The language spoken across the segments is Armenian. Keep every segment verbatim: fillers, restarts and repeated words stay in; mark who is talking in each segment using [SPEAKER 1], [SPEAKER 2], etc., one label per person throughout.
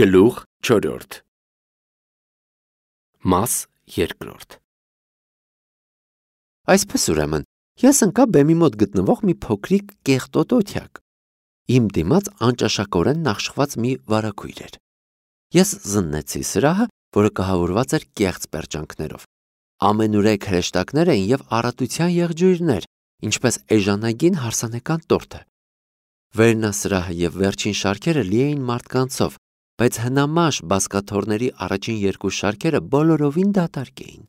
[SPEAKER 1] Գլուխ չորրորդ Մաս երկրորդ Այսպես ուրեմն, ես ընկա բեմի մոտ գտնվող մի փոքրիկ կեղտոտ օթյակ։ Իմ դիմաց անճաշակորեն նախշված մի վարագույր էր։ Ես զննեցի սրահը, որը կահավորված էր կեղծ պերճանքներով։ Ամենուրեք հրեշտակներ էին և առատության եղջյուրներ, ինչպես էժանագին հարսանեկան տորթը։ Վերնասրահը և վերջին շարքերը լի էին մարդկանցով, բայց հնամաշ բազկաթոռների առաջին երկու շարքերը բոլորովին դատարկ էին։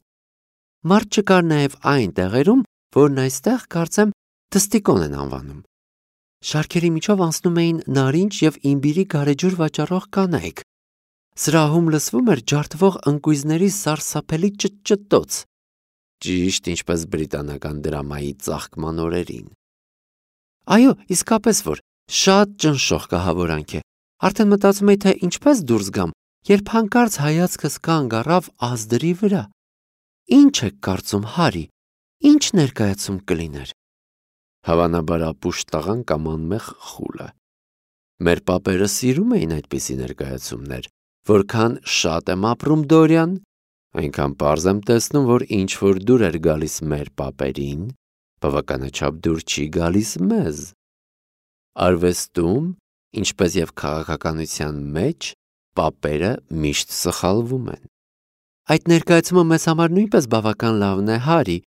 [SPEAKER 1] Մարդ չկար նաև այն տեղերում, որն այստեղ, կարծեմ, դստիկոն են անվանում։ Շարքերի միջով անցնում էին նարինջ և իմբիրի գարեջուր վաճառող կանայք։ Սրահում լսվում էր ջարդվող ընկույզների սարսափելի ճտճտոց, ճիշտ ինչպես բրիտանական դրամայի ծաղկման օրերին։ Այո, իսկապես որ, շատ ճնշող կահավորանք է։ Արդեն մտածում էի, թե ինչպես դուրս գամ, երբ հանկարծ հայացքս կանգ առավ ազդրի վրա։ Ինչ եք կարծում, Հարի, ինչ ներկայացում կլիներ։ Հավանաբար ապուշ տղան կամ անմեղ խուլը։ Մեր պապերը սիրում էին այդպիսի ներկայացումներ, որքան շատ եմ ապրում, Դորյան, այնքան պարզ եմ տեսնում, որ ինչ որ դուր էր գալիս մեր պապերին, բավականաչափ դուր չի գալիս մեզ։ Արվեստում, ինչպես և քաղաքականության մեջ, պապերը միշտ սխալվում են։ Այդ ներկայացումը մեզ համար նույնպես բավական լավն է, Հարի,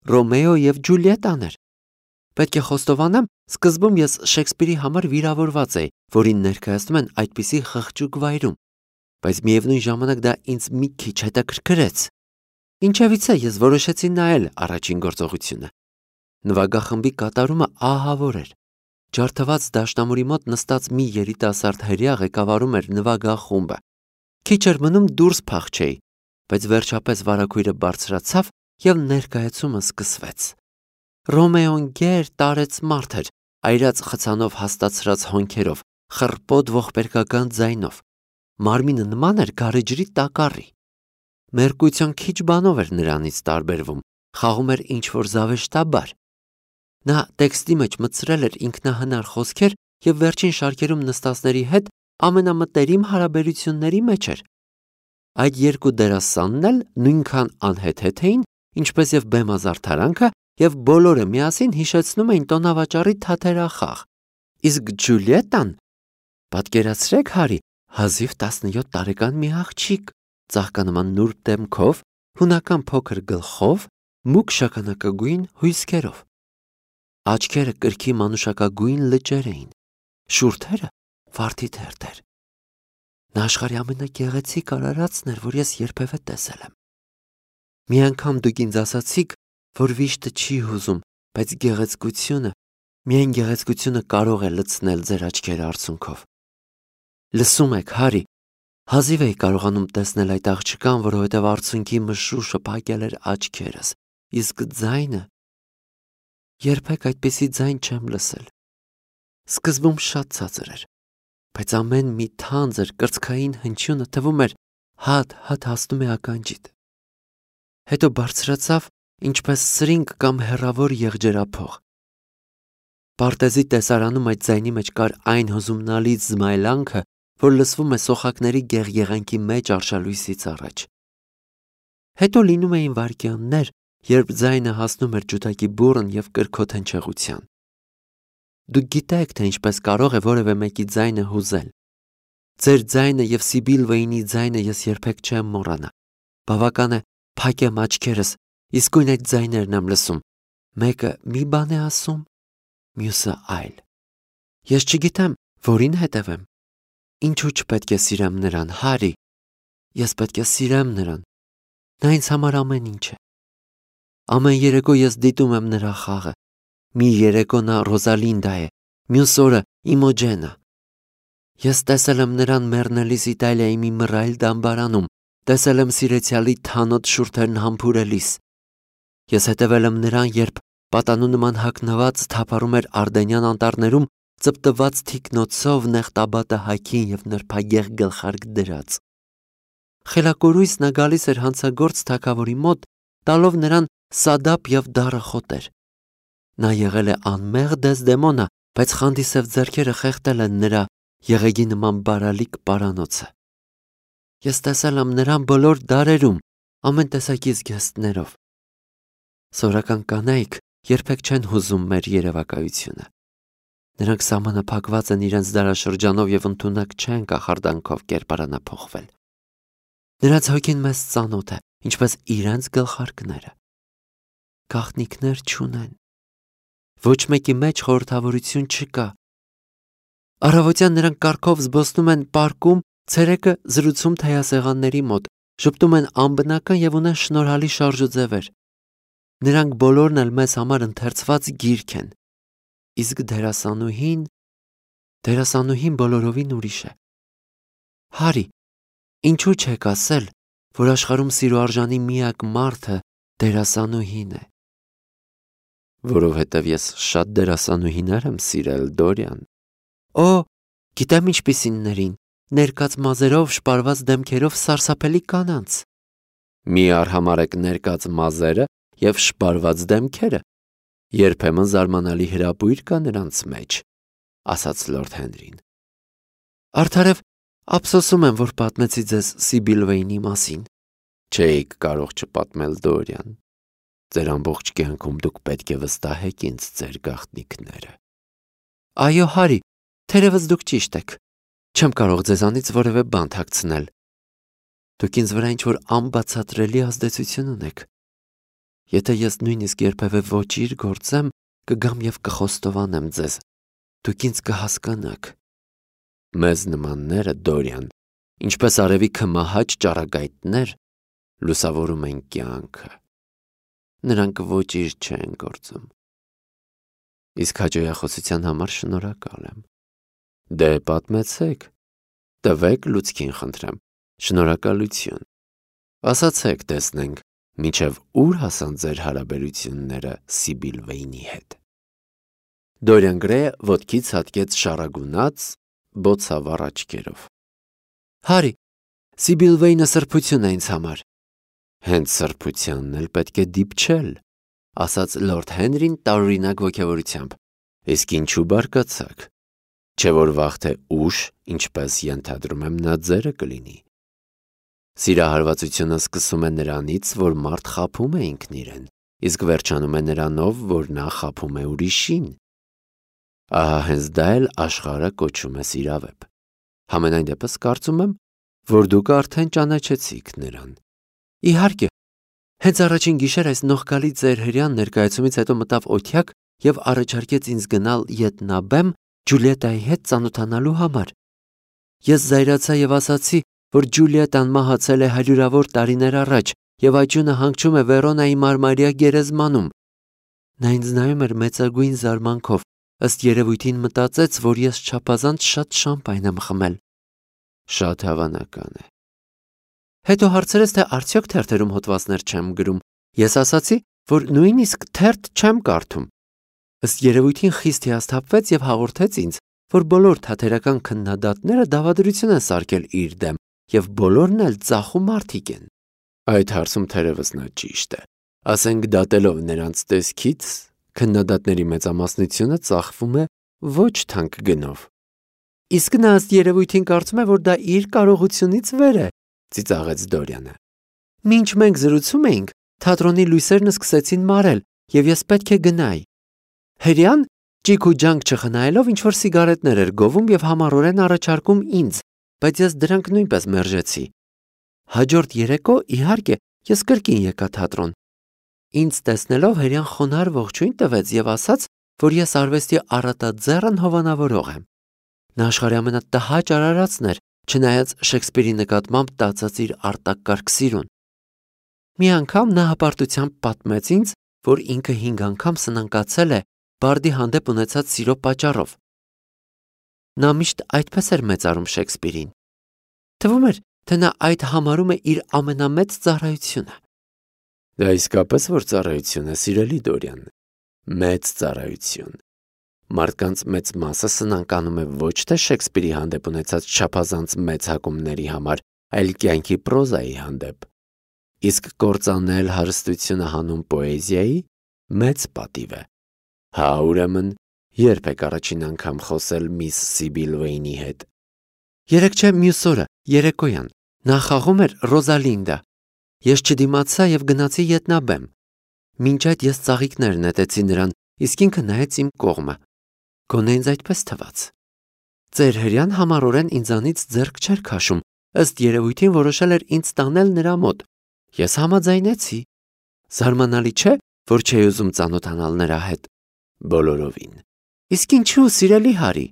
[SPEAKER 1] Ռոմեո և Ջուլիետան էր։ Պետք է խոստովանեմ, սկզբում ես Շեքսպիրի համար վիրավորված էի, որին ներկայացնում են այդպիսի խղճուկ վայրում, բայց միևնույն ժամանակ դա ինձ մի քիչ հետաքրքրեց։ Ինչևիցե ես որոշեցի նայել առաջին գործողությունը։ Նվագախմբի կատարումը ահավոր էր։ Ջարդված դաշնամուրի մոտ նստած մի երիտասարդ հրեա ղեկավարում էր նվագախումբը։ Քիչ էր մնում դուրս փախչեի, բայց վերջապես վարագույրը բարձրացավ և ներկայացումը սկսվեց։ Ռոմեոն գեր տարեց մարդ էր, այրած խցանով հաստացրած հոնքերով, խռպոտ ողբերգական ձայնով։ Մարմինը նման էր գարեջրի տակառի։ Մերկույցիոն քիչ բանով էր նրանից տարբերվում, խաղում էր ինչ-որ զավեշտաբար։ Նա տեքստի մեջ մտցրել էր ինքնահնար խոսքեր և վերջին շարքերում նստածների հետ ամենամտերիմ հարաբերությունների մեջ էր։ Այդ երկու դերասանն էլ նույնքան անհեթեթ էին, ինչպես և բեմազարդարանքը, և բոլորը միասին հիշեցնում էին տոնավաճառի թատերախաղ։ Իսկ Ջուլիետան, պատկերացրեք, Հարի, հազիվ տասնյոթ տարեկան մի աղջիկ, ծաղկանման նուրբ դեմքով, հունական փոքր գլխով, մուգ շագանակագույն հյուսքերով։ Աչքերը կրքի մանուշակագույն լճեր էին, շուրթերը վարդի թերթեր։ Նա աշխարհի ամենագեղեցիկ արարածն էր, որ ես երբևէ տեսել եմ։ Մի անգամ դուք ինձ ասացիք, որ վիշտը չի հուզում, բայց գեղեցկությունը, միայն գեղեցկությունը կարող է լցնել ձեր աչքերը արցունքով։ Լսում եք, Հարի, հազիվ էի կարողանում տեսնել այդ աղջկան, որովհետև արցունքի մշուշը փակել էր աչքերս, իսկ ձայնը… Երբեք այդպիսի ձայն չեմ լսել։ Սկզբում շատ ցածր էր, բայց ամեն մի թանձր կրծքային հնչյունը թվում էր հատ-հատ հասնում է ականջիդ։ Հետո բարձրացավ, ինչպես սրինգ կամ հեռավոր եղջերափող։ Պարտեզի տեսարանում այդ ձայնի մեջ կար այն հուզումնալից զմայլանքը, որ լսվում է սոխակների գեղեղենքի մեջ արշալույսից առաջ։ Հետո լինում էին վայրկյաններ, երբ ձայնը հասնում էր ջութակի բուռն և կրքոտ հնչեղության։ Դուք գիտեք, թե ինչպես կարող է որևէ մեկի ձայնը հուզել։ Ձեր ձայնը և Սիբիլ ձայնը ես երբեք չեմ մոռանա։ Բավական է փակեմ աչքերս, իսկույն այդ ձայներն եմ լսում։ Մեկը մի բան է ասում, մյուսը այլ։ Ես չգիտեմ, որին հետևեմ։ Ինչու չպետք է սիրեմ նրան, Հարի։ Ես պետք է սիրեմ նրան։ Նա ինձ համար ամեն ինչ է։ Ամեն երեկո ես դիտում եմ նրա խաղը։ Մի երեկո նա Ռոզալինդա է, մյուս օրը Իմոջենը։ Ես տեսել եմ նրան մեռնելիս Իտալիայի մի մռայլ դամբարանում, տեսել եմ սիրեցյալի թանոթ շուրթերն համբուրելիս։ Ես հետևել եմ նրան, երբ պատանու նման հագնված թափառում էր Ардենյան անտառներում, ծպտված թիկնոցով նեղ տաբատը հագին և նրբագեղ գլխարկ դրած։ Խելակորույս նա գալիս էր հանցագործ թագավորի մոտ, տալով նրան սադապ և դառը խոտեր։ Նա եղել է անմեղ Դեսդեմոնա, բայց խանդիսև ձեռքերը խեղդել են նրա եղեգի նման բարալիկ պարանոցը։ Ես տեսել եմ նրան բոլոր դարերում, ամեն տեսակի զգեստներով։ Սովորական կանայք երբեք չեն հուզում մեր երևակայությունը։ Նրանք սահմանափակված են իրենց դարաշրջանով եւ ընդունակ չեն կախարդանքով կերպարանափոխվել։ Նրանց հոգին մեզ ծանոթ է, ինչպես իրենց գլխարկները։ Գաղտնիքներ չունեն։ Ոչ մեկի մեջ խորհրդավորություն չկա։ Առավոտյան նրանք կառքով զբոսնում են պարկում, ցերեկը զրուցում թեյասեղանների մոտ, շփտում են անբնական եւ ունեն շնորհալի շարժուձևեր։ Նրանք բոլորն էլ մեզ համար ընթերցված գիրք են։ Իսկ դերասանուհին, դերասանուհին բոլորովին ուրիշ է։ Հարի, ինչու չեք ասել, որ աշխարհում սիրո արժանի միակ մարդը դերասանուհին է։ Որովհետև ես շատ դերասանուհիներ եմ սիրել, Դորիան։ Օ, գիտեմ ինչպիսիններին, ներկած մազերով, շպարված դեմքերով սարսափելի կանանց։ Մի արհամարեք ներկած մազերը եւ շպարված դեմքերը։ Երբեմն զարմանալի հրապույր կա նրանց մեջ, ասաց Լորդ Հենրին։ Արդարև, ափսոսում եմ, որ պատմեցի ձեզ Սիբիլ Վեյնի մասին։ Չէիք կարող չպատմել, Դորիան։ Ձեր ամբողջ կյանքում դուք պետք է վստահեք ինձ ձեր գաղտնիքները։ Այո, Հարի, թերևս դուք ճիշտ եք։ Չեմ կարող ձեզանից որևէ բան թաքցնել։ Դուք ինձ վրա ինչ-որ անբացատրելի ազդեցություն ունեք։ Եթե ես նույնիսկ երբևէ ոչիր գործեմ, կգամ եւ կխոստովանեմ ձեզ։ Դուք ինձ կհասկանաք։ Մեզ նմանները, Դորիան, ինչպես արևի մահաճ ճառագայթներ, լուսավորում են կյանքը։ Նրանք ոչինչ չեն գործում։ Իսկ հաջողախոսության համար շնորհակալ եմ։ Դե պատմեցեք, տվեք լուցկին խնդրեմ, շնորհակալություն։ Ասացեք, տեսնենք, մինչև ուր հասան ձեր հարաբերությունները Սիբիլ Վեյնի հետ։ Դորիան Գրեյը ոտքից հատկեց շարագունած, բոցավառ աչքերով։ Հարի, Սիբիլ Վեյնը սրբություն է ինձ համար։ Հենց սրբությանն էլ պետք է դիպչել, ասաց Լորդ Հենրին տարօրինակ ոգևորությամբ։ Իսկ ինչու բարկացաք։ Չէ որ վաղ թե ուշ, ինչպես ենթադրում եմ, նա ձերը կլինի։ Սիրահարվածությունը սկսում է նրանից, որ մարդ խաբում է ինքն իրեն, իսկ վերջանում է նրանով, որ նա խաբում է ուրիշին։ Ահա հենց դա էլ աշխարհը կոչում է սիրավեպ։ Համենայն դեպս կարծում եմ, որ դուք արդեն ճանաչեցիք նրան։ Իհարկե, հենց առաջին գիշեր այս նողկալի ձեր հրյան ներկայացումից հետո մտավ օթյակ եւ առաջարկեց ինձ գնալ Ետնաբեմ Ջուլիետայի հետ ծանոթանալու համար։ Ես զայրացա եւ ասացի, որ Ջուլիետան մահացել է հարյուրավոր տարիներ առաջ եւ աճյունը հանգչում է Վերոնայի մարմարյա գերեզմանում։ Նա ինձ նայում էր մեծագույն զարմանքով, ըստ երևույթին մտածեց, որ ես չափազանց շատ շամպայն եմ խմել։ Շատ հավանական է։ Հետո հարցրեց, թե արդյոք թերթերում հոդվածներ չեմ գրում։ Ես ասացի, որ նույնիսկ թերթ չեմ կարդում։ Ըստ երևույթին խիստ հիասթափվեց եւ հաղորդեց ինձ, որ բոլոր թատերական քննադատները դավադրություն են սարքել իր դեմ եւ բոլորն էլ ծախու մարդիկ են։ Այդ հարցում թերևս նա ճիշտ է։ Ասենք դատելով նրանց տեսքից, քննադատների մեծամասնությունը ծախվում է ոչ թանկ գնով։ Իսկ նա ըստ երևույթին կարծում է, որ դա իր կարողությունից վեր է, ծիծաղեց Դորիանը։ Մինչ մենք զրուցում էինք, թատրոնի լույսերն սկսեցին մարել եւ ես պետք է գնայի։ Հրյան ճիք ու ջանք չխնայելով ինչ-որ սիգարետներ էր գովում եւ համառորեն առաջարկում ինձ, բայց ես դրանք նույնպես մերժեցի։ Հաջորդ երեկո, իհարկե, ես կրկին եկա թատրոն։ Ինձ տեսնելով հրյան խոնարհ ողջույն տվեց եւ ասաց, որ ես արվեստի առատաձեռն հովանավորող եմ։ Նա աշխարհի ամենատհաճ արարածն էր, չնայած Շեքսպիրի նկատմամբ տածած իր արտակարգ սիրուն։ Մի անգամ նա հպարտությամբ պատմեց ինձ, որ ինքը հինգ անգամ սնանկացել է Բարդի հանդեպ ունեցած սիրո պատճառով։ Նա միշտ այդպես էր մեծարում Շեքսպիրին։ Թվում էր, թե նա այդ համարում է իր ամենամեծ ծառայությունը։ Դա իսկապես որ ծառայություն է, սիրելի Դորիան, մեծ ծառայություն։ Մարդկանց մեծ մասը սնանկանում է ոչ թե Շեքսպիրի հանդեպ ունեցած չափազանց մեծ հակումների համար, այլ կյանքի պրոզայի հանդեպ։ Իսկ կործանել հարստությունը հանուն պոեզիայի մեծ պատիվ է։ Հա, ուրեմն, երբ եք առաջին անգամ խոսել միս Սիբիլ Վեյնի հետ։ Երեկ չէ, մյուս օրը, երեկոյան, Նա խաղում էր Ռոզալինդա։ Ես չդիմացա եւ գնացի ետնաբեմ։ Մինչ այդ ես ծաղիկներ նետեցի նրան, իսկ ինքը նայեց իմ կողմը։ Գոնե ինձ այդպես թվաց։ Ձեր հրյան համառորեն ինձանից ձեռք չէր քաշում, ըստ երևույթին որոշել էր ինձ տանել նրա մոտ։ Ես համաձայնեցի։ Զարմանալի չէ, որ չէի ուզում ծանոթանալ նրա հետ։ Բոլորովին։ Իսկ ինչու, սիրելի Հարի։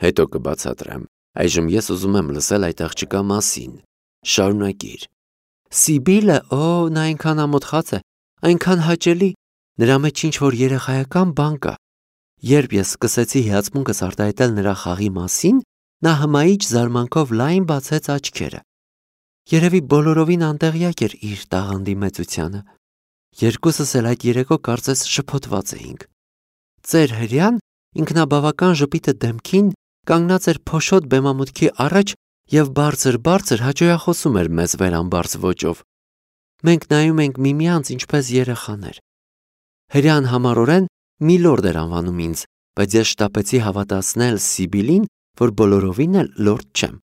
[SPEAKER 1] Հետո կբացատրեմ։ Այժմ ես ուզում եմ լսել այդ աղջկա մասին։ Շարունակիր։ Սիբիլը, օ, նա այնքան ամոթխած է, այնքան հաճելի, նրա մեջ ինչ-որ երեխայական բան կա։ Երբ ես սկսեցի հիացմունքս արտահայտել նրա խաղի մասին, նա հմայիչ զարմանքով լայն բացեց աչքերը։ Երևի բոլորովին անտեղյակ էր իր տաղանդի մեծությանը։ Երկուսս էլ այդ երեկո կարծես շփոթված էինք։ Ձեր հրյան ինքնաբավական ժպիտը դեմքին կանգնած էր փոշոտ բեմամուտքի առաջ եւ բարձր-բարձր հաճոյախոսում էր մեզ վերամբարձ ոճով։ Մենք նայում ենք միմյանց ինչպես երեխաներ։ Հրյան համառորեն Միլորդ էր անվանում ինձ, բայց ես շտապեցի հավատացնել Սիբիլին, որ բոլորովին էլ լորդ չեմ։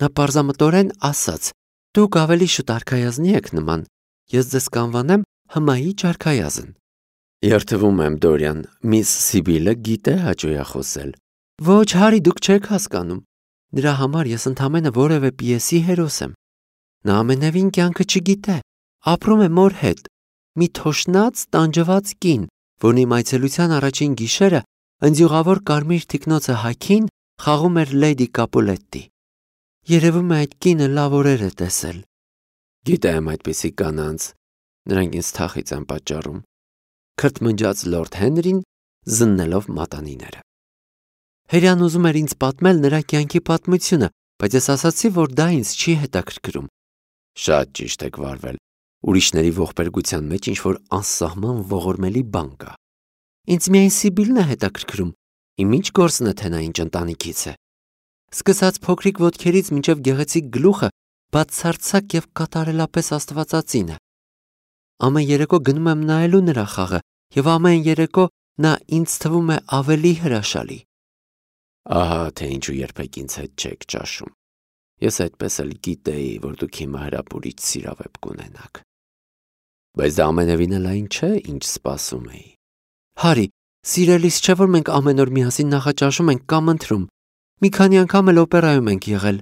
[SPEAKER 1] Նա պարզամտորեն ասաց. «Դուք ավելի շուտ արքայազնի եք նման, ես ձեզ կանվանեմ հմայիչ արքայազն»։ Երդվում եմ, Դորյան, միս Սիբիլը գիտե հաճոյախոսել։ Ոչ, Հարի, դուք չեք հասկանում։ Նրա համար ես ընդամենը որևէ պիեսի հերոս եմ։ Նա ամենևին կյանքը չգիտե, ապրում է մոր հետ։ Մի թոշնած, տանջված կին, որն իմ այցելության առաջին գիշերը ընձյուղավոր կարմիր թիկնոցը հագին խաղում էր Լեյդի Կապուլետտի։ Երևում է այդ կինը լավ օրեր է տեսել։ Գիտեմ այդպիսի կանանց, նրանք ինձ թախից են պատճառում։ Քրթմնջաց լորդ Հենրին, զննելով մատանիները։ Հրյան ուզում էր ինձ պատմել նրա կյանքի պատմությունը, բայց ես ասացի, որ դա ինձ չի հետաքրքրում։ Շատ ճիշտ եք վարվել։ Ուրիշների ողբերգության մեջ ինչ-որ անսահման ողորմելի բան կա։ Ինձ միայն Սիբիլն է հետաքրքրում։ Իմ ինչ գործն է, թե նա ինչ ընտանիքից է։ Սկսած փոքրիկ ոտքերից մինչև գեղեցիկ գլուխը բացարձակ եւ կատարելապես աստվածածին է։ Ամեն երեկո գնում եմ նայելու նրա խաղը եւ ամեն երեկո նա ինձ թվում է ավելի հրաշալի։ Ահա թե ինչու երբեք ինձ հետ չեք ճաշում։ Ես այդպես էլ գիտեի, որ դուք հիմա հրապուրիչ սիրավեպ կունենաք։ Բայց դա ամենևին էլ այն չէ, ինչ սպասում էի։ Հարի, սիրելիս չէ, որ մենք ամեն օր միասին նախաճաշում ենք կամ ընթրում։ Մի քանի անգամ էլ օպերայում ենք եղել,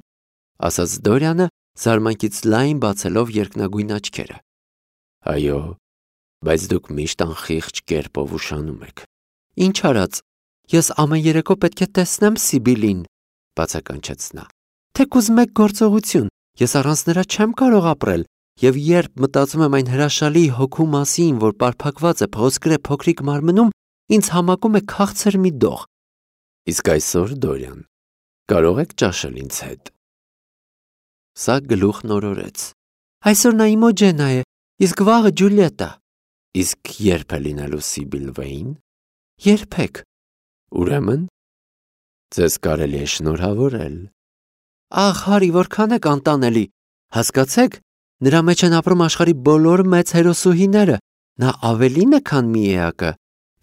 [SPEAKER 1] ասաց Դորյանը, զարմանքից լայն բացելով երկնագույն աչքերը։ Այո, բայց դուք միշտ անխիղճ կերպով ուշանում եք։ Ինչ արած, ես ամեն երեկո պետք է տեսնեմ Սիբիլին, բացականչեց նա։ Թեկուզ մեկ գործողություն, ես առանց նրա չեմ կարող ապրել, եւ երբ մտածում եմ այն հրաշալի հոգու մասին, որ պարփակված է փոսկրե փոքրիկ մարմնում, ինձ համակում է քաղցր մի դող։ Իսկ այսօր, Դորյան, կարող եք ճաշել ինձ հետ։ Սա գլուխն օրորեց։ Այսօր նա Իմոջենա է, իսկ վաղը Ջուլիետա։ Իսկ երբ է լինելու Սիբիլ Վեին։ Երբեք։ Ուրեմն ձեզ կարելի է շնորհավորել։ Ախ, Հարի, որքան եք անտանելի։ Հասկացեք, նրա մեջ են ապրում աշխարհի բոլոր մեծ հերոսուհիները։ Նա ավելին է, քան մի էակը։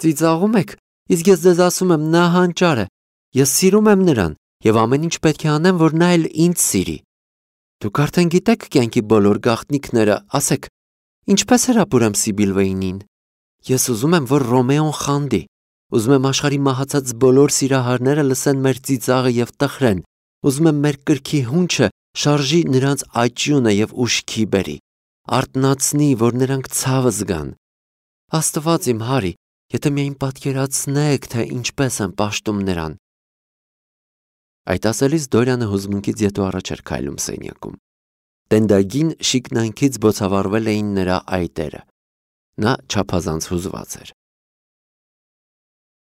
[SPEAKER 1] Ծիծաղում եք, իսկ ես ձեզ ասում եմ, նա հանճար է։ Ես սիրում եմ նրան եւ ամեն ինչ պետք է անեմ, որ նա էլ ինձ սիրի։ Դուք արդեն գիտեք կյանքի բոլոր գաղտնիքները, ասեք, ինչպես հրապուրեմ Սիբիլ Վեյնին։ Ես ուզում եմ, որ Ռոմեոն խանդի։ Ուզում եմ աշխարհի մահացած բոլոր սիրահարները լսեն մեր ծիծաղը եւ տխրեն։ Ուզում եմ մեր կրքի հունչը շարժի նրանց աճյունը եւ ուշքի բերի, արտնացնի, որ նրանք ցավը զգան։ Աստված իմ Հարի, եթե միայն պատկերացնեք, թե ինչպես եմ պաշտում նրան։ Այդ ասելիս Դորյանը հուզմունքից ետո առաջ էր քայլում սենյակում։ Տենդագին շիկնանքից բոցավառվել էին նրա այտերը։ Նա չափազանց հուզված էր։